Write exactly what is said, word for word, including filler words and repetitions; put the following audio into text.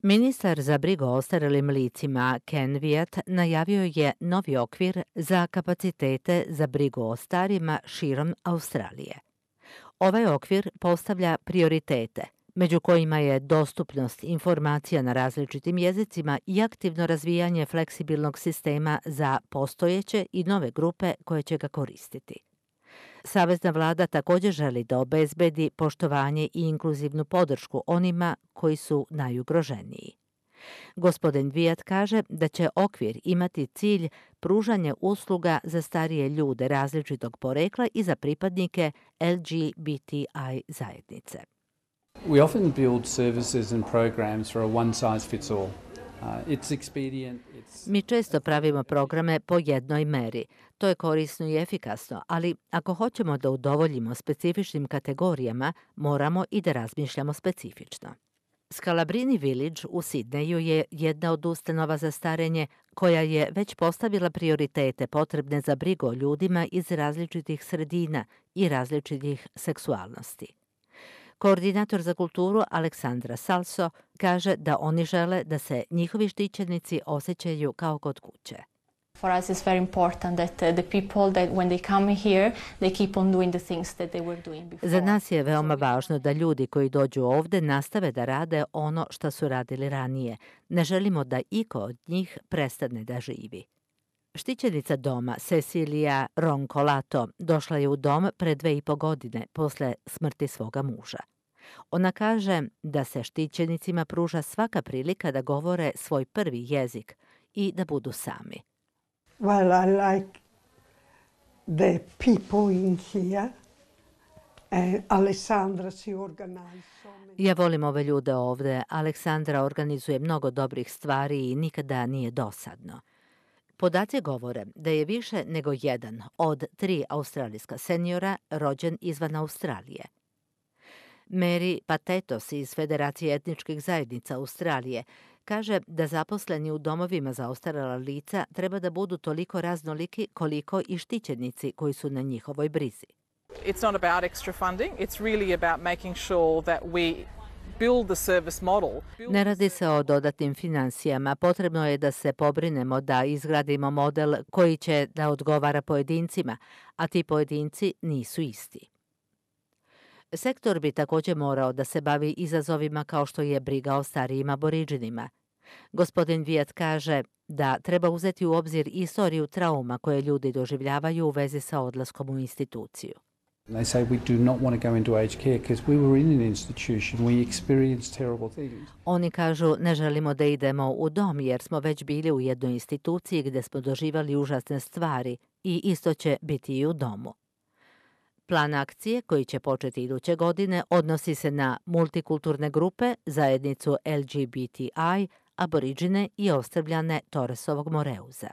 Ministar za brigu o ostarelim licima Ken Wyatt najavio je novi okvir za kapacitete za brigu o starima širom Australije. Ovaj okvir postavlja prioritete, među kojima je dostupnost informacija na različitim jezicima i aktivno razvijanje fleksibilnog sistema za postojeće i nove grupe koje će ga koristiti. Savezna vlada također želi da obezbedi poštovanje i inkluzivnu podršku onima koji su najugroženiji. Gospodin Wyatt kaže da će okvir imati cilj pružanje usluga za starije ljude različitog porekla i za pripadnike L G B T I zajednice. We often build services and programs for a one size fits all. Uh, it's expedient, it's... Mi često pravimo programe po jednoj meri. To je korisno i efikasno, ali ako hoćemo da udovoljimo specifičnim kategorijama, moramo i da razmišljamo specifično. Scalabrini Village u Sidneju je jedna od ustanova za starenje koja je već postavila prioritete potrebne za brigu o ljudima iz različitih sredina i različitih seksualnosti. Koordinator za kulturu Aleksandra Salso kaže da oni žele da se njihovi štićenici osjećaju kao kod kuće. For us it's very important that uh, the people that when they come here they keep on doing the things that they were doing before. Za nas je veoma važno da ljudi koji dođu ovde nastave da rade ono što su radili ranije. Ne želimo da iko od njih prestane da živi. Štićenica doma Cecilia Roncolato došla je u dom pre dve i po godine posle smrti svoga muža. Ona kaže da se štićenicima pruža svaka prilika da govore svoj prvi jezik i da budu sami. Well, I like the people in here. And Alessandra si organize so many... Ja volim ove ljude ovde. Aleksandra organizuje mnogo dobrih stvari i nikada nije dosadno. Podaci govore da je više nego jedan od tri australijska seniora rođen izvan Australije. Mary Patetos iz Federacije etničkih zajednica Australije kaže da zaposleni u domovima za ostarela lica treba da budu toliko raznoliki koliko i štićenici koji su na njihovoj brizi. It's not about extra funding, it's really about making sure that we build the service model. Ne radi se o dodatnim financijama, potrebno je da se pobrinemo da izgradimo model koji će da odgovara pojedincima, a ti pojedinci nisu isti. Sektor bi također morao da se bavi izazovima kao što je briga o starijim aboriđinima. Gospodin Wyatt kaže da treba uzeti u obzir istoriju trauma koje ljudi doživljavaju u vezi sa odlaskom u instituciju. They say we do not want to go into aged care because we were in an institution, we experienced terrible things. Oni kažu ne želimo da idemo u dom jer smo već bili u jednoj instituciji gdje smo doživali užasne stvari i isto će biti i u domu. Plan akcije, koji će početi iduće godine, odnosi se na multikulturne grupe, zajednicu L G B T I, aboriđine i ostrvljane Torresovog Moreuza.